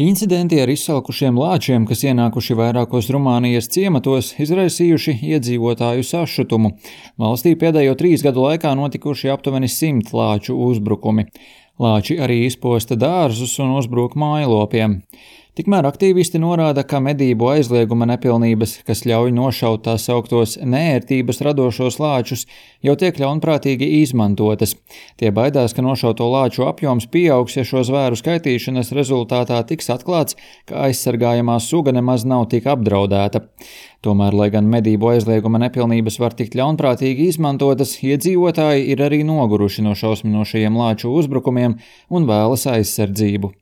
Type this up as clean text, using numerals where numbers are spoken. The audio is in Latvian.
Incidenti ar izsalkušiem lāčiem, kas ienākuši vairākos Rumānijas ciematos, izraisījuši iedzīvotāju sašutumu. Valstī pēdējo 3 gadu laikā notikuši aptuveni 100 lāču uzbrukumi. Lāči arī izposta dārzus un uzbruk mājlopiem. Tikmēr aktīvisti norāda, ka medību aizlieguma nepilnības, kas ļauj nošaut tā sauktos neērtības radošos lāčus, jau tiek ļaunprātīgi izmantotas. Tie baidās, ka nošauto lāču apjoms pieaugs, ja šo zvēru skaitīšanas rezultātā tiks atklāts, ka aizsargājamā suga nemaz nav tik apdraudēta. Tomēr, lai gan medību aizlieguma nepilnības var tikt ļaunprātīgi izmantotas, iedzīvotāji ir arī noguruši no šausminošajiem lāču uzbrukumiem un vēlas aizsardzību.